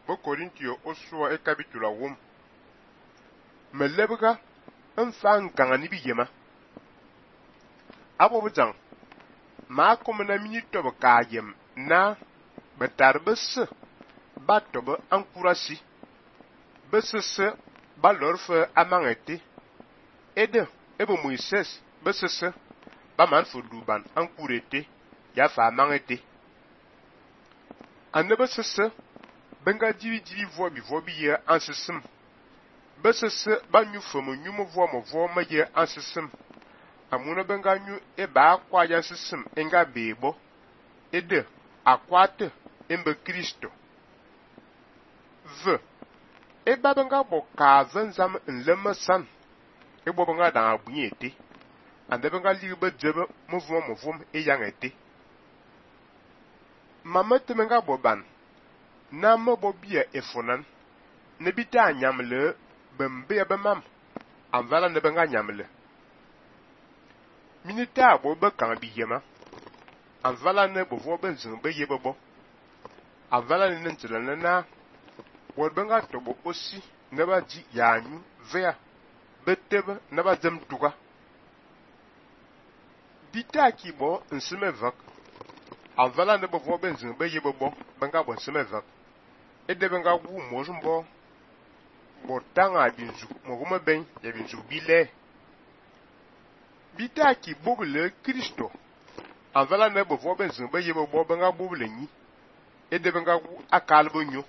bo Korintio osua e capitula wom. Me lebga nfa nkanga ni biyema. Abo bujang ma kom na minute bo ka yem na betar bes ba to be encouragé bes ba lorfe amangete ede ebo Moises bes ba man fo duban encouragé ya fa amangete ane bes benga divi vobi ye ansesem bes ba nyu fo mo vo ma ye ansesem amuna benga nyu e ba kwa ya sesem enga bebo ede akwate embe Kristo v e ba benga bo ka zam nlemasan e bo benga da abunyete ande benga libe jebe mo vom e yangete mamete menga bo ban na mo bo bia efonan ne bita nyamle bembe be mam anvala ne benga nyamle minita bo be kan biyema anvala ne bo vo ben zin be yebe bo anvala ne ntela na bo benga to bo osi ne ba ji yanyu vea betebe ne ba zem tuga bita ki bo nsime vak anvala ne bo vo ben zin be yebe bo benga bo nsime vak ede benga wu mozumbo bo tanga binzu mo goma ben ya binzu bile bita ki bobule Kristo anvala ne bo vo ben zin be yebe bo benga bobule ni ede benga wu akalbo nyo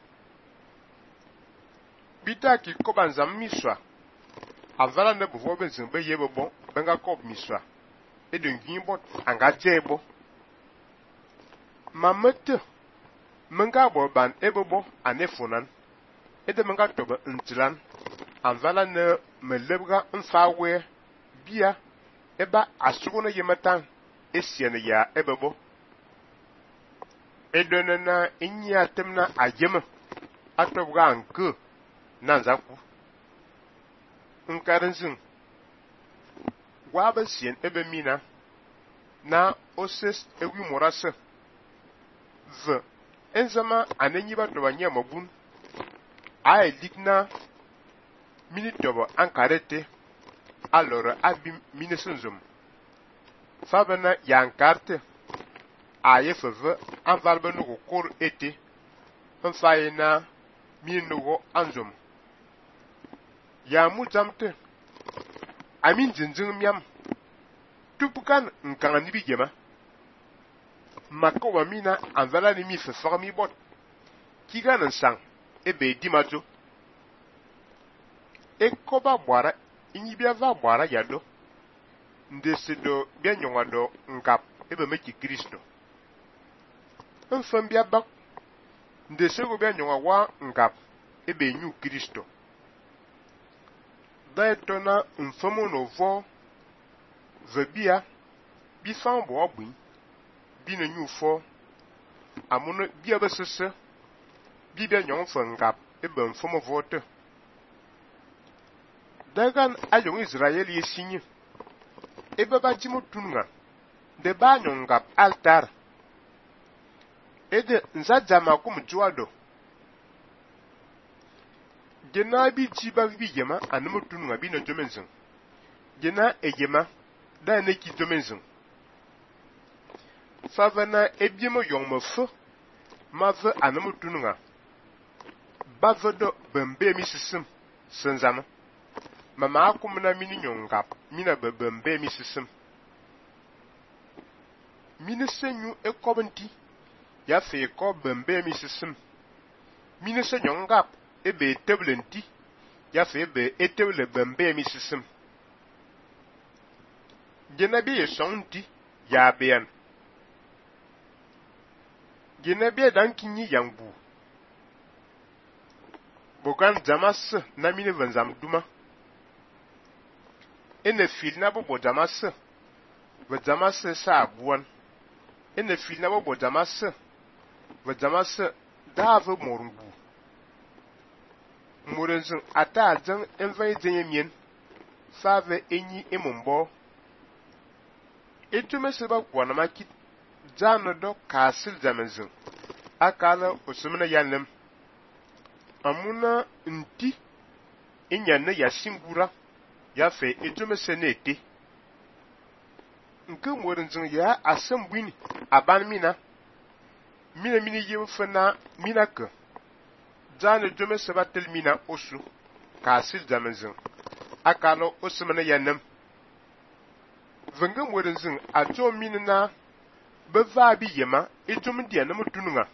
bita ki koban zam miswa anvala ne bo vo ben zin be yebe bo benga kob miswa ede ngin bot anga jebo mamete menga bo ban ebebo anefonan ede menga tobe ntlan anvala ne melebga mfawe bia eba asugona yematan esiene ya ebebo edone na inya temna ajema atobga anke nanzaku nkarinzin waba sien ebe mina na oses ewi morase v enzama anenyi ba to banya mabun ay digna minitobo ankarete alora abi minesunzum fabana yankarte aye feve anvalbe no kor ete nfayena minugo anzum ya muzamte amin zinzing miam tupukan nkanga ni bigema makoba mina anvala ni mi fefami bot kiga nsang ebe dimazo ekoba bwara inyibia va bwara yado ndesido bia nyongado nkap ebe meki Kristo mfambia bak ndesego bia nyonga wa nkap ebe nyu Kristo daetona mfamo no vo vebia bi fambo abun bi na nyu fo amuno bia besese bi bia nyong fo nkap ebe mfamo vote dagan ayong Israel yesinye ebe ba jimo tunga de ba nyongap altar ede nzajama kum juado gena bi jiba bi yema animo tunga bi no jomenzin gena ejema da ne ki jomenzin favana ebiemo yongmo fo mave animo tunga bavodo bembe mi sisim senzama mama akum na mini nyongap mina bembe mi sisim mini senyu ekobenti ya fe ko bembe mi sisim mini se nyongap ebe teblenti ya fe be eteble bembe mi sisim genabi yesonti ya bean genabi dankinyi yangbu bokan jamas na mini vanzam duma ene fil na bo jamas ve jamas sa abuan ene fil na bo jamas ve jamas dave morungu morenzo ata jan envai zenyemien fave enyi emombo etume seba kwana makit jano do kasil zamenzin akala osumna yanem amuna nti inyane ya singura ya fe ejome senete nke morinzin ya asambwini aban mina mini yefana mina ke jane jome sebatel mina osu kasil jamenzin akalo osmana yanem venga morinzin ajo minina beva bi yema ejome dia na mutununga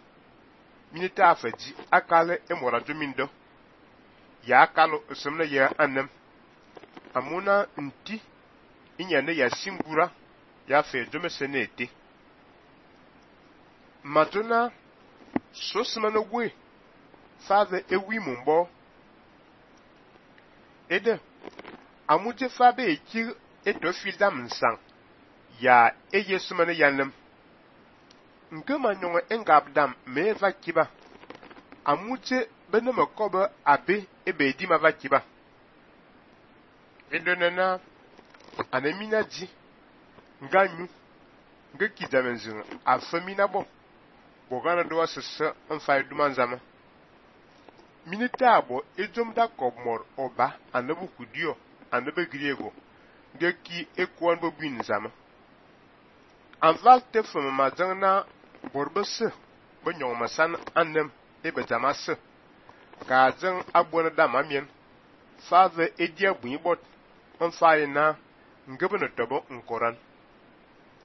minita afaji akale emora jomindo ya akalo osmana ya anem amuna nti inyane ya singura ya fe jome senete matuna sosmana we father ewi mumbo ede amuje fabe ekir eto fildam nsang ya eyesumana yanem nke manyonga engabdam meva kiba amuje benema koba abe ebedi mava kiba edonana anemina ji nganyu ngeki jamenzin afamina bon bogana do asese mfa dumanzama minita abo ejom da kobmor oba anabu kudio anabe griego ngeki ekwan bo bin zama anval te fama mazana borbese bonyon masan annem ebe jamase ka zan abona da mamien fave edia buibot on faina ngebe no tobo nkoran